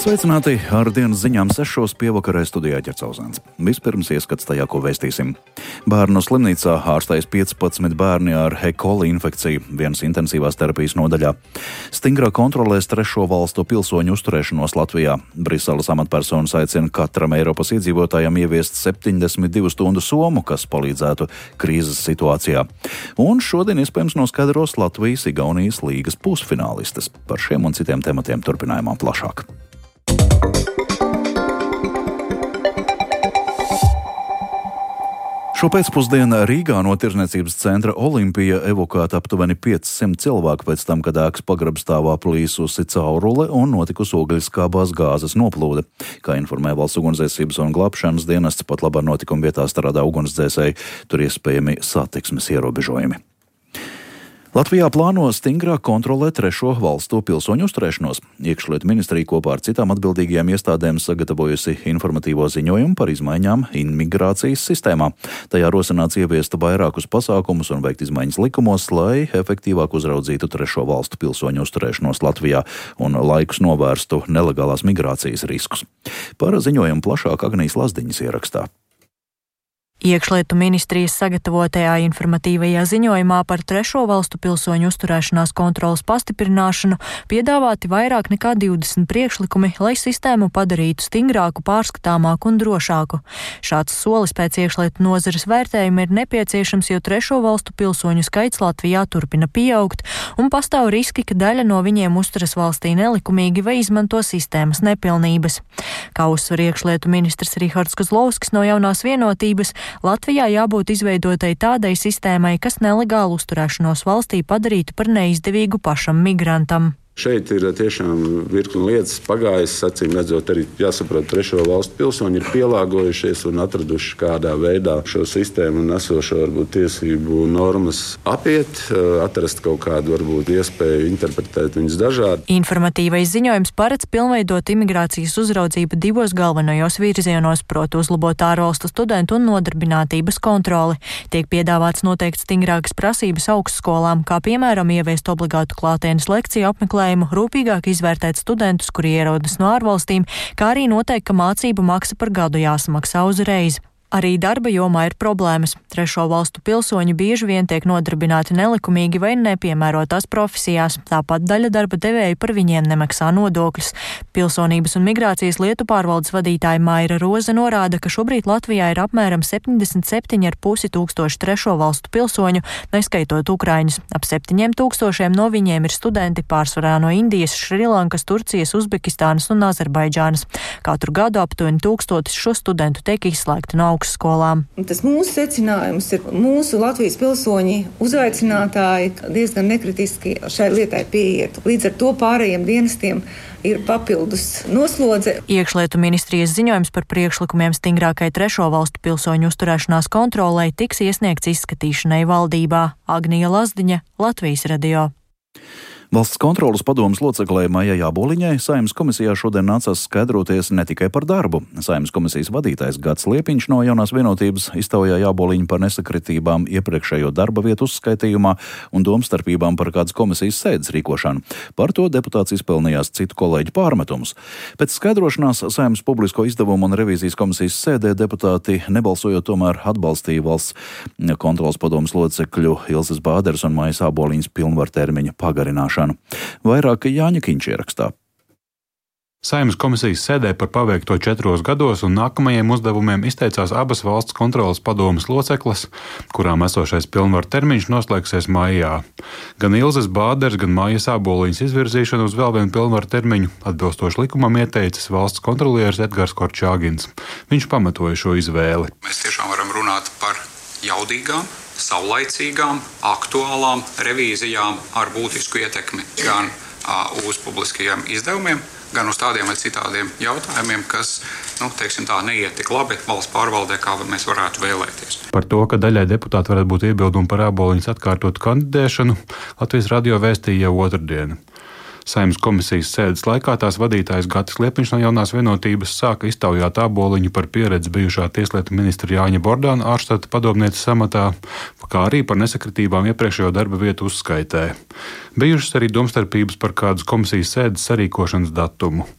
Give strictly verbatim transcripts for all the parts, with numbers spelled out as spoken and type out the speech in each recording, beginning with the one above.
Sveicināti ar dienas ziņām sešos pievakarē studijā Ķercauzāns. Vispirms ieskats tajā, ko vēstīsim. Bērnu slimnīcā ārstējas piecpadsmit bērni ar E. coli infekciju vienas intensīvās terapijas nodaļā. Stingrā kontrolēs trešo valstu pilsoņu uzturēšanos Latvijā. Briseles amatpersonas aicina katram Eiropas iedzīvotājam ieviest septiņdesmit divu stundu somu, kas palīdzētu krīzes situācijā. Un šodien iespējams noskaidros Latvijas-Igaunijas līgas pusfinālistes. Par šiem un citiem tematiem turpinājumā plašāk. Šo pēcpusdienu Rīgā no tirdzniecības centra Olimpija evakuēta aptuveni piecsimt cilvēku pēc tam, kad ēkas pagrabstāvā plīsusi caurule un notikusi ogļskābās gāzes noplūde. Kā informē Valsts ugunsdzēsības un glābšanas dienests, pat labā notikuma vietā strādā ugunsdzēsēji, tur iespējami satiksmes ierobežojumi. Latvijā plāno stingrāk kontrolēt trešo valstu pilsoņu uzturēšanos. Iekšlietu ministrija kopā ar citām atbildīgajām iestādēm sagatavojusi informatīvo ziņojumu par izmaiņām imigrācijas sistēmā. Tajā rosināts ieviest vairākus pasākumus un veikt izmaiņas likumos, lai efektīvāk uzraudzītu trešo valstu pilsoņu uzturēšanos Latvijā un laikus novērstu nelegālās migrācijas riskus. Par ziņojumu plašāk Agnijas Lazdiņas ierakstā. Iekšlietu ministrijas sagatavotajā informatīvajā ziņojumā par trešo valstu pilsoņu uzturēšanās kontrolas pastiprināšanu piedāvāti vairāk nekā divdesmit priekšlikumi, lai sistēmu padarītu stingrāku, pārskatāmāku un drošāku. Šāds solis pēc iekšlietu nozares vērtējuma ir nepieciešams, jo trešo valstu pilsoņu skaits Latvijā turpina pieaugt, un pastāv riski, ka daļa no viņiem uzturas valstī nelikumīgi vai izmanto sistēmas nepilnības. Kā uzsver iekšlietu ministrs Rihards Kozlovskis no Jaunās vienotības, Latvijā jābūt izveidotai tādai sistēmai, kas nelegālu uzturēšanos valstī padarītu par neizdevīgu pašam migrantam. Šeit ir tiešām virkni lietas pagājis, acīm redzot, arī jāsaprot, trešo valstu pilsoņi ir pielāgojušies un atraduši kādā veidā šo sistēmu un esošo varbūt tiesību normas apiet, atrast kaut kādu varbūt iespēju interpretēt viņas dažādi. Informatīvais ziņojums paredz pilnveidot imigrācijas uzraudzību divos galvenajos virzienos, proti uzlabot ārvalstu studentu un nodarbinātības kontroli. Tiek piedāvāts noteikt stingrākas prasības augstskolām, kā piemēram ieviest obligātu klātienes lekciju apmeklējumu, rūpīgāk izvērtēt studentus, kuri ierodas no ārvalstīm, kā arī noteikt, ka mācību maksa par gadu jāsamaksā uzreiz. Arī darba jomā ir problēmas. Trešo valstu pilsoņi bieži vien tiek nodarbināti nelikumīgi vai nepiemērotās profesijās. Tāpat daļa darba devēju par viņiem nemaksā nodokļus. Pilsonības un migrācijas lietu pārvaldes vadītāja Maira Roze norāda, ka šobrīd Latvijā ir apmēram septiņdesmit septiņi ar pusi tūkstoši trešo valstu pilsoņu, neskaitot ukraiņus. Ap septiņiem tūkstošiem no viņiem ir studenti, pārsvarā no Indijas, Šrilankas, Turcijas, Uzbekistānas un Azerbaidžānas. Katru gadu aptuveni tūkstotis šo studentu tiek izslēgti no augstskolām. Tas mūsu secinājums ir, mūsu Latvijas pilsoņi uzaicinātāji diezgan nekritiski šai lietai pieiet. Līdz ar to pārējiem dienestiem ir papildus noslodze. Iekšlietu ministrijas ziņojums par priekšlikumiem stingrākai trešo valstu pilsoņu uzturēšanās kontrolei tiks iesniegts izskatīšanai valdībā. Agnija Lazdiņa, Latvijas radio. Valsts kontrolas padomes loceklē Maijai Āboliņai Saeimas komisijā šodien nācās skaidroties ne tikai par darbu. Saeimas komisijas vadītājs Gads Liepiņš no Jaunās vienotības iztaujāja Āboliņu par nesakritībām iepriekšējo darba vietu uzskaitījumā un domstarpībām par kādas komisijas sēdes rīkošanu. Par to deputāts izpelnījās citu kolēģu pārmetumus. Pēc skaidrošanās Saeimas publisko izdevumu un revīzijas komisijas sēdē deputāti nebalsojot tomēr atbalstīja valsts kontrolas padomes locekļu Ilzes Bāderes un Maijas Āboliņas pilnvartermiņa pagarināšanu. Vairāk Jāņa Kiņš ierakstā. Saeimas komisijas sēdē par paveikto četros gados un nākamajiem uzdevumiem izteicās abas valsts kontrolas padomes locekles, kurām esošais pilnvaru termiņš noslēgsies maijā. Gan Ilzes Bāderes, gan Maijas Āboliņas izvirzīšanu uz vēl vienu pilnvaru termiņu atbilstoši likumam ieteicis valsts kontrolieris Edgars Korčāgins. Viņš pamatoja šo izvēli. Mēs tiešām varam runāt par jaudīgām, saulaicīgām, aktuālām revīzijām ar būtisku ietekmi gan uh, uz publiskajiem izdevumiem, gan uz tādiem vai citādiem jautājumiem, kas, nu, teiksim tā, neiet tik labi valsts pārvaldē, kā mēs varētu vēlēties. Par to, ka daļai deputāti varētu būt iebildumi par Āboliņas atkārtotu kandidēšanu, Latvijas radio vēstīja jau otrdien. Saeimas komisijas sēdes laikā tās vadītājs Gatis Liepiņš no Jaunās vienotības sāka iztaujāt Āboliņu par pieredzi bijušā tieslietu ministra Jāņa Bordāna ārštata padomnieces amatā, kā arī par nesakritībām iepriekšējo darba vietu uzskaitē. Bijušas arī domstarpības par kādas komisijas sēdes sarīkošanas datumu.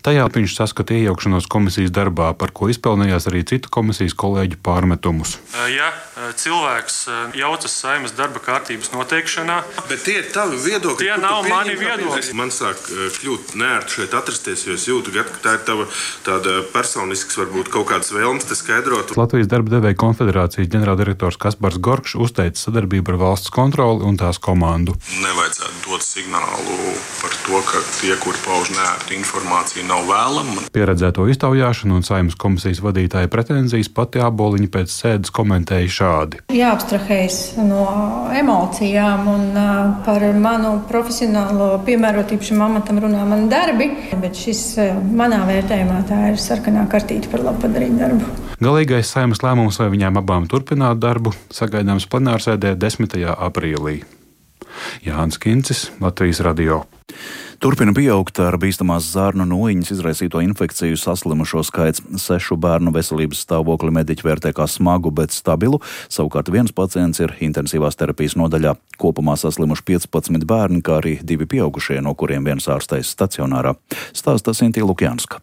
Tajā viņš saskata iejaukšanos komisijas darbā, par ko izpelnījās arī citu komisijas kolēģu pārmetumus. Ja cilvēks jaucas Saeimas darba kārtības noteikšanā, bet tie ir tavi viedokļi. Tie nav mani viedokļi. Man sāk kļūt neērti šeit atrasties, jo es jūtu, ka tā ir tava tāda personisks, varbūt kaut kādas vēlmes te skaidrot. Latvijas darba devēja konfederācijas ģenerāldirektors Kaspars Gorkšs uzteica sadarbību ar valsts kontroli un tās komandu. Nevajadzētu dot signālu par to, ka tie, kuri pauž neērtu informāciju, nav vēlama. Pieredzēto iztaujāšanu un Saeimas komisijas vadītāja pretenzijas pati Āboliņa pēc sēdes komentēja šādi. Jāabstrahējas no emocijām un par manu profesionālo piemērotību šim amatam runā mani darbi, bet šis manā vērtējumā tā ir sarkanā kartīte par labu padarīt darbu. Galīgais Saeimas lēmums, vai viņām abām turpināt darbu, sagaidāms plenārsēdē desmitajā aprīlī. Jānis Kincis, Latvijas radio. Turpina pieaugt ar bīstamās zārnu noiņas izraisīto infekciju saslimušo skaits. Sešu bērnu veselības stāvokli mediķi vērtē kā smagu, bet stabilu. Savukārt viens pacients ir intensīvās terapijas nodaļā. Kopumā saslimuši piecpadsmit bērni, kā arī divi pieaugušie, no kuriem viens ārstējas stacionārā. Stāsta Sintī Lukjanska.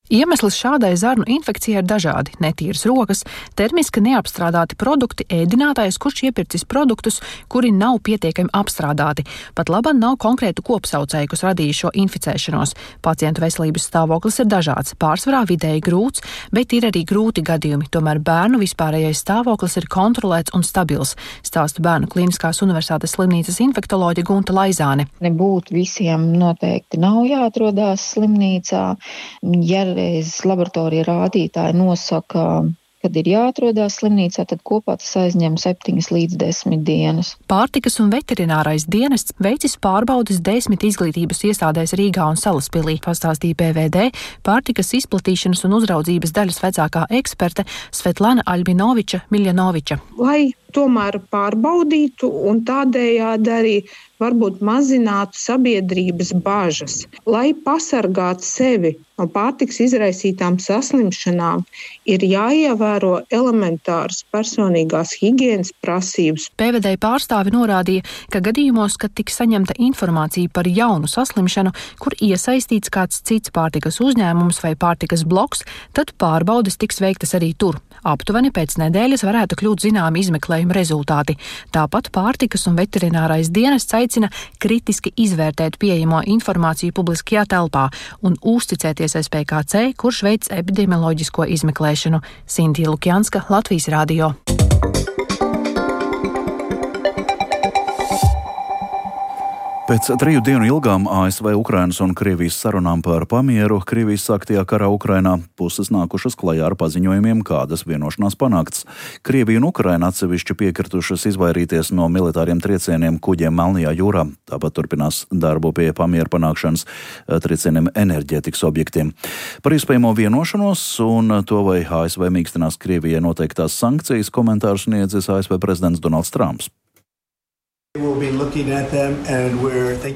Iemesls šādai zarnu infekcijai ir dažādi - netīras rokas, termiski neapstrādāti produkti, ēdinātājs, kurš iepircis produktus, kuri nav pietiekami apstrādāti. Pat labam nav konkrētu kopsaucēju, kas radīja šo inficēšanos. Pacientu veselības stāvoklis ir dažāds, pārsvarā vidēji grūts, bet ir arī grūti gadījumi. Tomēr bērnu vispārējais stāvoklis ir kontrolēts un stabils, stāsta Bērnu klīniskās universitātes slimnīcas infektoloģe Gunta Laizāne. Nebūt visiem noteikti nav jāatrodās slimnīcā. Ja laboratorija rādītāji nosaka, kad ir jāatrodās slimnīcā, tad kopā tas aizņem septiņas līdz desmit dienas. Pārtikas un veterinārais dienests veicis pārbaudes desmit izglītības iestādēs Rīgā un Salaspilī, pastāstīja P V D pārtikas izplatīšanas un uzraudzības daļas vecākā eksperte Svetlana Albinoviča Miljanoviča. Lai tomēr pārbaudītu un tādējādi arī varbūt mazinātu sabiedrības bažas, lai pasargātu sevi no pārtikas izraisītām saslimšanām, ir jāievēro elementāras personīgās higienas prasības. P V D pārstāvi norādīja, ka gadījumos, kad tiks saņemta informācija par jaunu saslimšanu, kur iesaistīts kāds cits pārtikas uzņēmums vai pārtikas bloks, tad pārbaudes tiks veiktas arī tur. Aptuveni pēc nedēļas varētu kļūt zināmi izmeklējuma rezultāti. Tāpat pārtikas un veterinārais dienests aicina kritiski izvērtēt pieejamo informāciju publiskajā telpā un uzticēties S P K C, kurš veic epidemioloģisko izmeklēšanu. Sintī Lukjanska, Latvijas radio. Pēc triju dienu ilgām A S V, Ukrainas un Krievijas sarunām par pamieru Krievijas sāktajā karā Ukrainā puses nākušas klajā ar paziņojumiem, kādas vienošanās panākts. Krievija un Ukraina atsevišķi piekritušas izvairīties no militāriem triecieniem kuģiem Melnajā jūrā. Tāpat turpinās darbu pie pamiera panākšanas triecieniem enerģētikas objektiem. Par iespējamo vienošanos un to, vai A S V mīkstinās Krievijai noteiktās sankcijas, komentārus sniedzis A S V prezidents Donalds Trumps.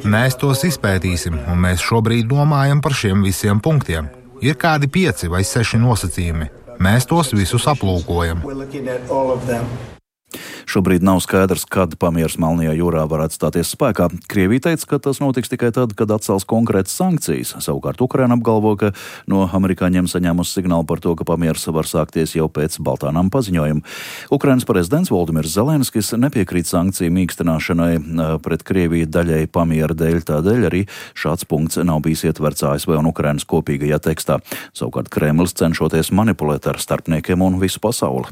Mēs tos izpētīsim, un mēs šobrīd domājam par šiem visiem punktiem. Ir kādi pieci vai seši nosacījumi. Mēs tos visus aplūkojam. Šobrīd nav skaidrs, kad pamieris Melnajā jūrā varētu stāties spēkā. Krievija teica, ka tas notiks tikai tad, kad atcels konkrētas sankcijas. Savukārt Ukraina apgalvo, ka no amerikāņiem saņēmusi signālu par to, ka pamieris var sākties jau pēc Baltānām paziņojuma. Ukrainas prezidents Voldimirs Zelenskis nepiekrīt sankciju mīkstināšanai pret Krieviju daļai pamiera dēļ, tādēļ arī šāds punkts nav bijis ietverts A S V un Ukrainas kopīgajā tekstā. Savukārt Kremlis cenšoties manipulēt ar starpniekiem un visu pasauli.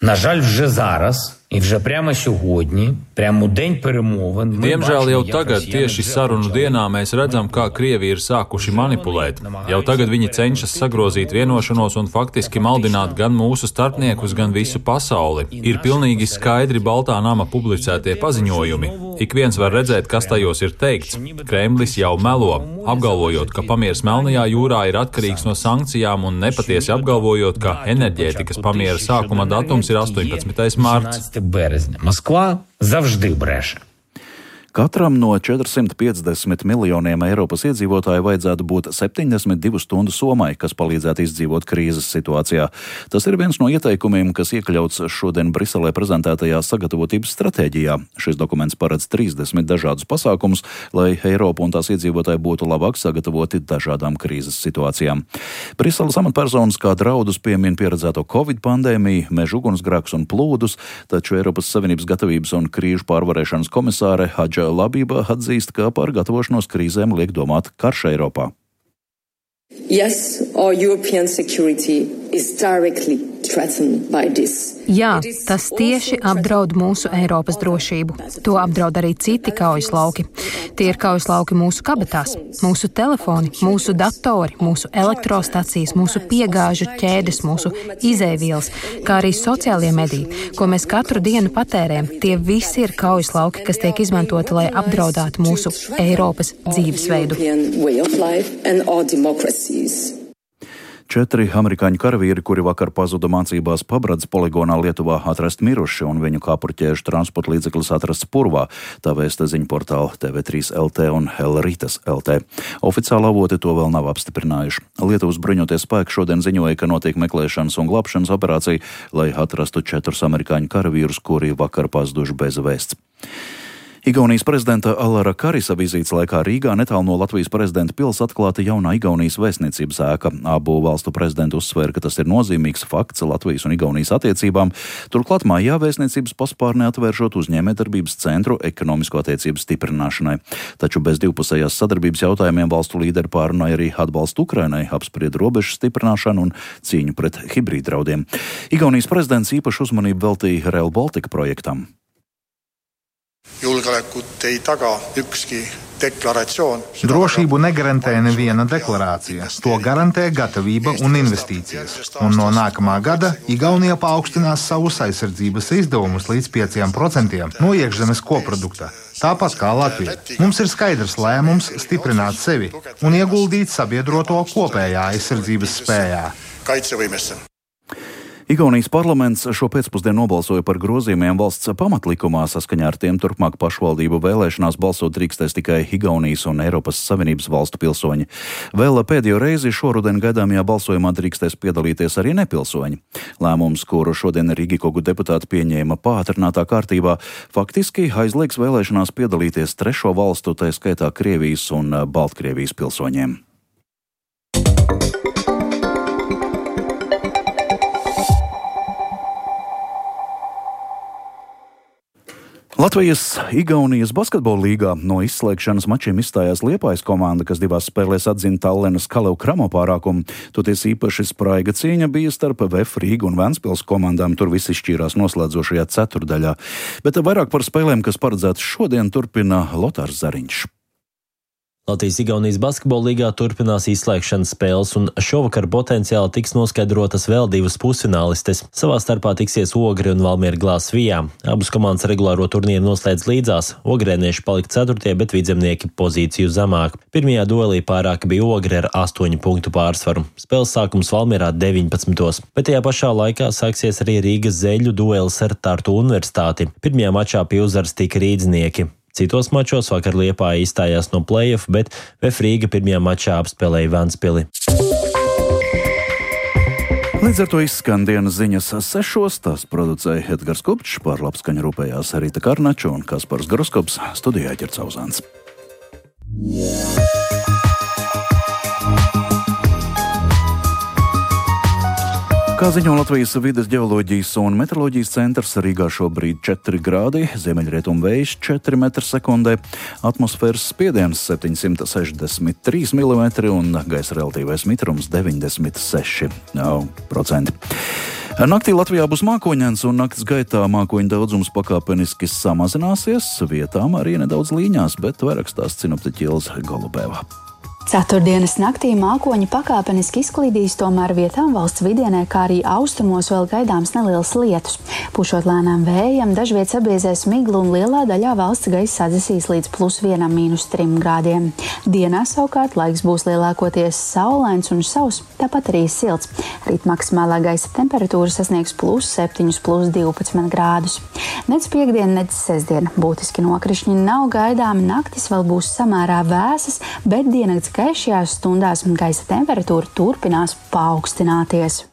На жаль, вже зараз і вже прямо сьогодні, прямо у день перемовин. Diemžēl jau tagad, tieši sarunu dienā, mēs redzam, kā Krievi ir sākuši manipulēt. Jau tagad viņi cenšas sagrozīt vienošanos un faktiski maldināt gan mūsu starpniekus, gan visu pasauli. Ir pilnīgi skaidri Baltā nama publicētie paziņojumi. Ik viens var redzēt, kas tajos ir teikts. Kremlis jau melo, apgalvojot, ka pamieris Melnajā jūrā ir atkarīgs no sankcijām un nepatiesi apgalvojot, ka enerģētikas pamiera sākuma datums ir astoņpadsmitais mārts. Березня. Москва завжди бреше. Katram no četrsimt piecdesmit miljoniem Eiropas iedzīvotāju vajadzētu būt septiņdesmit divu stundu somai, kas palīdzētu izdzīvot krīzes situācijā. Tas ir viens no ieteikumiem, kas iekļauts šodien Briselē prezentētajā sagatavotības stratēģijā. Šis dokuments paredz trīsdesmit dažādus pasākumus, lai Eiropa un tās iedzīvotāji būtu labāk sagatavoti dažādām krīzes situācijām. Briseles amatpersonas kā draudus piemin pieredzēto Covid pandēmiju, meža ugunsgrēkus un plūdus, taču Eiropas Savienības gatavības un krīžu pārvarēšanas komisāre Hadža Labība atzīst, ka par gatavošanos krīzēm liek domāt karš Eiropā. Yes, our European security is directly threatened by this. Jā, tas tieši apdraud mūsu Eiropas drošību. To apdraud arī citi kaujas lauki. Tie ir kaujas lauki mūsu kabatās, mūsu telefoni, mūsu datori, mūsu elektrostacijas, mūsu piegāžu ķēdes, mūsu izēvielas, kā arī sociālie mediji, ko mēs katru dienu patērējam. Tie visi ir kaujas lauki, kas tiek izmantoti, lai apdraudātu mūsu Eiropas dzīvesveidu. Četri amerikāņu karavīri, kuri vakar pazuda mācībās Pabradas poligonā Lietuvā, atrasti miruši un viņu kāpurķēžu transporta līdzeklis atrasts purvā, tā vēsta ziņu portāli T V trīs L T un Elritas L T. Oficiāli avoti to vēl nav apstiprinājuši. Lietuvas bruņotie spēki šodien ziņoja, ka notiek meklēšanas un glābšanas operācija, lai atrastu četrus amerikāņu karavīrus, kuri vakar pazuduši bez vēsts. Igaunijas prezidenta Alara Karisa vizītes laikā Rīgā netālu no Latvijas prezidenta pils atklāta jaunā Igaunijas vēstniecības ēka. Abu valstu prezidenti uzsvēra, ka tas ir nozīmīgs fakts Latvijas un Igaunijas attiecībām. Turklāt mājā vēstniecības paspārnē atvēršot uzņēmējdarbības centru ekonomisko attiecību stiprināšanai. Taču bez divpusējās sadarbības jautājumiem valstu līderi pārunāja arī atbalstu Ukrainai, apsprieda robežu stiprināšanu un cīņu pret hibrīdraudiem. Igaunijas prezidents īpašu uzmanību veltīja Rail Baltica projektam. Julgeolekut ei taga ükski deklaratsioon. Drošību negarantē neviena deklarācija. To garantē gatavība un investīcijas. Un no nākamā gada Igaunija paaugstinās savus aizsardzības izdevumus līdz pieciem procentiem no iekšzemes koprodukta. Tāpat kā Latvija. Mums ir skaidrs lēmums stiprināt sevi un ieguldīt sabiedroto kopējā aizsardzības spējā. Kaitsevõimesse. Igaunijas parlaments šo pēcpusdienu nobalsoja par grozījumiem valsts pamatlikumā. Saskaņā ar tiem turpmāk pašvaldību vēlēšanās balsot drīkstēs tikai Igaunijas un Eiropas Savienības valstu pilsoņi. Vēl pēdējo reizi šoruden gaidāmajā balsojumā drīkstēs piedalīties arī nepilsoņi. Lēmums, kuru šodien Rīgikogu deputāti pieņēma pātrinātā kārtībā, faktiski aizliegs vēlēšanās piedalīties trešo valstu, tā skaitā Krievijas un Baltkrievijas pilsoņiem. Latvijas-Igaunijas basketbola līgā no izslēgšanas mačiem izstājās Liepājas komanda, kas divās spēlēs atzina Tallinas Kalev Kramo pārākumu. Toties īpaši spraiga cīņa bija starp V F Rīgu un Ventspils komandām, tur viss izšķīrās noslēdzošajā ceturdaļā. Bet vairāk par spēlēm, kas paredzētas šodien, turpina Lotārs Zariņš. Latvijas-Igaunijas basketbola līgā turpinās izslēgšanas spēles, un šovakar potenciāli tiks noskaidrotas vēl divas pusfinālistes. Savā starpā tiksies Ogre un Valmiera Glāzvijā. Abas komandas regulāro turnīru noslēdz līdzās. Ogrēnieši palika ceturtie, bet vidzemnieki pozīciju zemāk. Pirmajā duelī pārāka bija Ogre ar astoņu punktu pārsvaru. Spēles sākums Valmierā deviņpadsmitos. Bet tajā pašā laikā sāksies arī Rīgas zeļu duelis ar Tartu universitāti. Pirmajā mačā pie uzvaras tika rīdznieki. Citos mačos vakar Liepāja izstājās no play-off, bet V F Rīga pirmajā mačā apspēlēja Ventspili. Līdz ar to izskan dienas ziņas sešos, tās producēja Edgars Kupčs, par labskaņu rūpējās Rīta Karnača un Kaspars Groskops, studijā Ķerts Auzāns. Kā ziņo Latvijas vides ģeoloģijas un meteoroloģijas centrs, Rīgā šobrīd četri grādi, ziemeļrietumu vējš četri metri sekundē, atmosfēras spiediens septiņsimt sešdesmit trīs milimetri un gaisa relatīvais mitrums deviņdesmit seši procenti. Naktī Latvijā būs mākoņains un nakts gaitā mākoņu daudzums pakāpeniski samazināsies, vietām arī nedaudz līņās, bet vairāk stāsta sinoptiķe Ilze Golubeva. Ceturtdienas naktī mākoņi pakāpeniski izklīdīs, tomēr vietām valsts vidienē, kā arī austrumos vēl gaidāms neliels lietus. Pušot lēnām vējam, dažviet sabiezēs miglu un lielā daļā valsts gaisa sadzisīs līdz plus vienam mīnus trim grādiem. Dienā savukārt laiks būs lielākoties saulains un sauss, tāpat arī silts. Rīt maksimālā gaisa temperatūra sasniegs plus septiņus, plus divpadsmit grādus. Nec piekdien, nec sestdien būtiski nokrišņi nav gaidāmi, naktis vēl būs samērā vēsas, bet diennakts gaišajās stundās gaisa temperatūra turpinās paaugstināties.